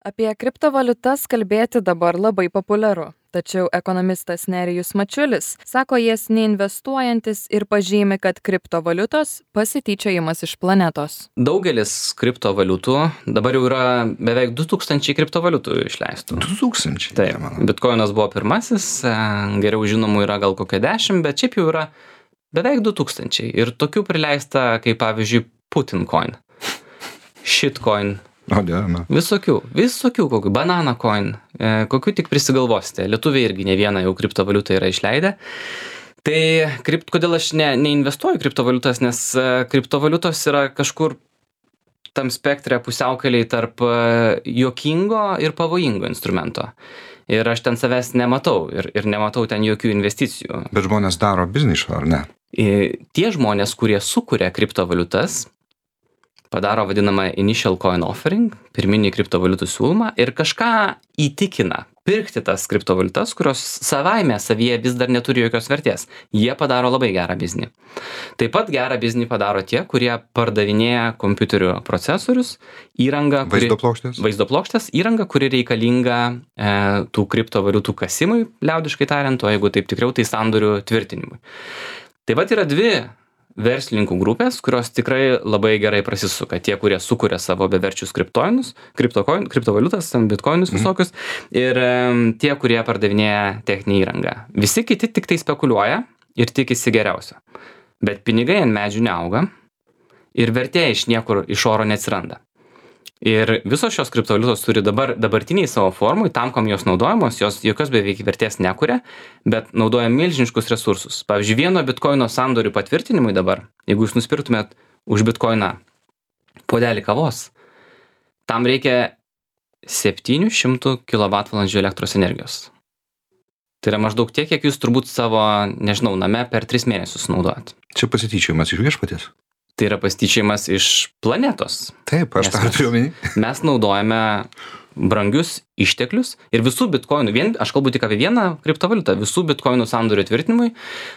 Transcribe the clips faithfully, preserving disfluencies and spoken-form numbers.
Apie kriptovaliutas kalbėti dabar labai populiaru. Tačiau ekonomistas Nerijus Mačiulis sako jas neinvestuojantis ir pažymi, kad kriptovaliutos pasityčiojimas iš planetos. Daugelis kriptovaliutų, dabar jau yra beveik du tūkstančiai kriptovaliutų išleistų. du tūkstančiai? Taip, bitkoinas buvo pirmasis, geriau žinomų yra gal kokia dešimt, bet šiaip jau yra beveik du tūkstančiai. Ir tokių prileista, kaip pavyzdžiui, Putincoin, Shitcoin. O, dieve. Visokių, visokių, kokių, banana coin, e, kokių tik prisigalvosite. Lietuviai irgi ne vieną jau kriptovaliutą yra išleidę. Tai kript, kodėl aš ne, neinvestuoju kriptovaliutas, nes e, kriptovaliutos yra kažkur tam spektre pusiaukeliai tarp e, juokingo ir pavojingo instrumento. Ir aš ten savęs nematau ir, ir nematau ten jokių investicijų. Bet žmonės daro biznį iš to, ar ne? E, tie žmonės, kurie sukuria kriptovaliutas, padaro vadinamą initial coin offering, pirminį kriptovaliutų siūlymą ir kažką įtikina pirkti tas kriptovaliutas, kurios savaime savyje vis dar neturi jokios vertės. Jie padaro labai gerą biznį. Taip pat gerą biznį padaro tie, kurie pardavinėja kompiuterių procesorius, įrangą, kuri, Vaizdo plokštės? vaizdo plokštės, įrangą, kuri reikalinga e, tų kriptovaliutų kasimui, liaudiškai tariant, o jeigu taip tikriau, tai sandorių tvirtinimui. Tai vat yra dvi verslininkų grupės, kurios tikrai labai gerai prasisuka. Tie, kurie sukuria savo beverčius kriptoinus, kriptocoin, kriptovaliutas, bitcoinus visokius, ir um, tie, kurie pardavinėja techninį įrangą. Visi kiti tik tai spekuliuoja ir tikisi geriausio. Bet pinigai ant medžių neauga ir vertė iš niekur iš oro neatsiranda. Ir visos šios kriptovaliutos turi dabar dabartiniai savo formui, tam, kam jos naudojamos, jos jokios beveik vertės nekuria, bet naudoja milžiniškus resursus. Pavyzdžiui, vieno bitkoino sandorių patvirtinimui dabar, jeigu jūs nusipirktumėt už bitkoiną puodelį kavos, tam reikia septynių šimtų kilovatvalandžių elektros energijos. Tai yra maždaug tiek, kiek jūs turbūt savo, nežinau, name per tris mėnesius naudojat. Čia pasityčiojimas iš viešpaties. Tai yra pasityčiojimas iš planetos. Taip, aš tą turiu omeny. Mes naudojame brangius išteklius ir visų bitkoinų, vien, aš kalbu tik apie vieną kriptovaliutą, visų bitkoinų sandorių tvirtinimui,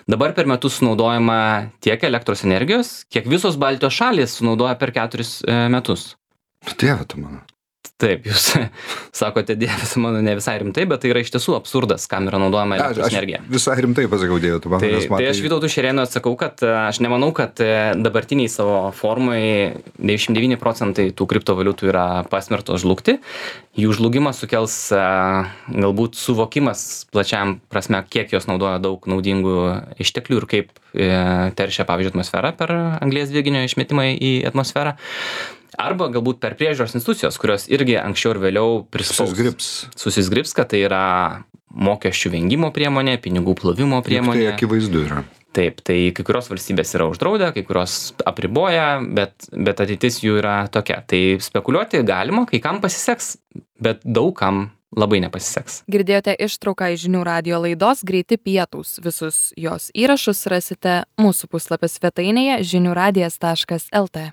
dabar per metus sunaudojama tiek elektros energijos, kiek visos Baltijos šalys sunaudoja per keturis e, metus. Dieve tu mano. Taip, jūs sakote, dievas mano ne visai rimtai, bet tai yra iš tiesų absurdas, kam yra naudojama elektros aš energija. Visai rimtai pasakau, dieve tu mano. Tai, nes matai- tai aš Vytautui Šerėnui atsakau, kad aš nemanau, kad dabartiniai savo formai devyniasdešimt devyni procentai tų kriptovaliutų yra pasmertos žlugti. Jų žlugimas sukels galbūt suvokimas plačiam prasme, kiek jos naudoja daug naudingų išteklių ir kaip teršia, pavyzdžiui, atmosferą per anglies dvideginio išmetimą į atmosferą. Arba galbūt per priežiūros institucijos, kurios irgi anksčiau ir vėliau prispaus. Susizgribs. Susizgribs, kad tai yra mokesčių vengimo priemonė, pinigų plovimo priemonė. Tai akivaizdu yra. Taip, tai kai kurios valstybės yra uždraudę, kai kurios apriboja, bet, bet ateitis jų yra tokia. Tai spekuliuoti galima, kai kam pasiseks, bet daug kam labai nepasiseks. Girdėjote ištrauką iš žinių radijo laidos Greiti pietūs. Visus jos įrašus rasite mūsų puslapio svetainėje žinių radijas taškas lt.